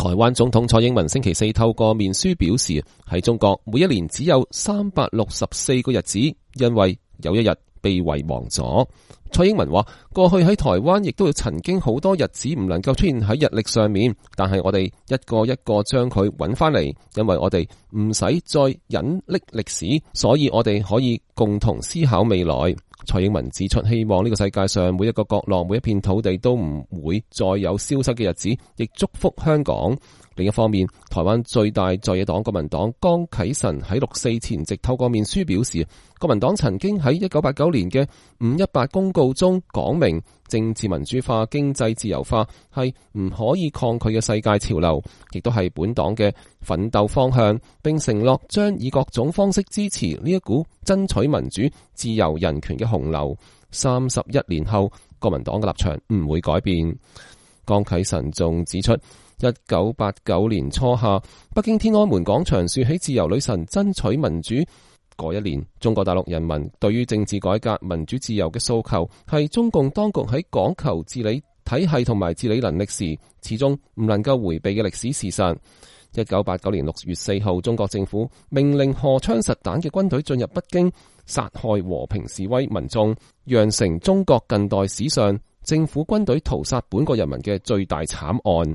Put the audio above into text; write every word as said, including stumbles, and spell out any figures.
台灣總統蔡英文星期四透過面書表示，喺中國每一年只有三百六十四個日子，因為有一日被遺忘咗。蔡英文話，過去喺台灣亦都曾經好多日子唔能夠出現喺日曆上面，但係我哋一個一個將佢揾翻嚟，因為我哋唔使再隱匿歷史，所以我哋可以共同思考未來。蔡英文指出，希望呢個世界上每一個角落、每一片土地都唔會再有消失嘅日子，亦祝福香港。另一方面，台灣最大在野黨國民黨江啟臣喺六四前夕透過面書表示，國民黨曾經喺一九八九年嘅五一八公告中講明，政治民主化、經濟自由化係唔可以抗拒嘅世界潮流，亦都係本黨嘅奮鬥方向，並承諾將以各種方式支持呢一股爭取民主、自由、人權嘅洪流。三十一年後，國民黨嘅立場唔會改變。江啟臣仲指出，一九八九年初夏，北京天安門廣場豎起自由女神爭取民主嗰一年，中國大陸人民對於政治改革、民主自由嘅訴求，係中共當局喺講求治理體系同埋治理能力時，始終唔能夠回避嘅歷史事實。一九八九年六月四號，中國政府命令荷槍實彈嘅軍隊進入北京，殺害和平示威民眾，釀成中國近代史上政府軍隊屠殺本國人民嘅最大慘案。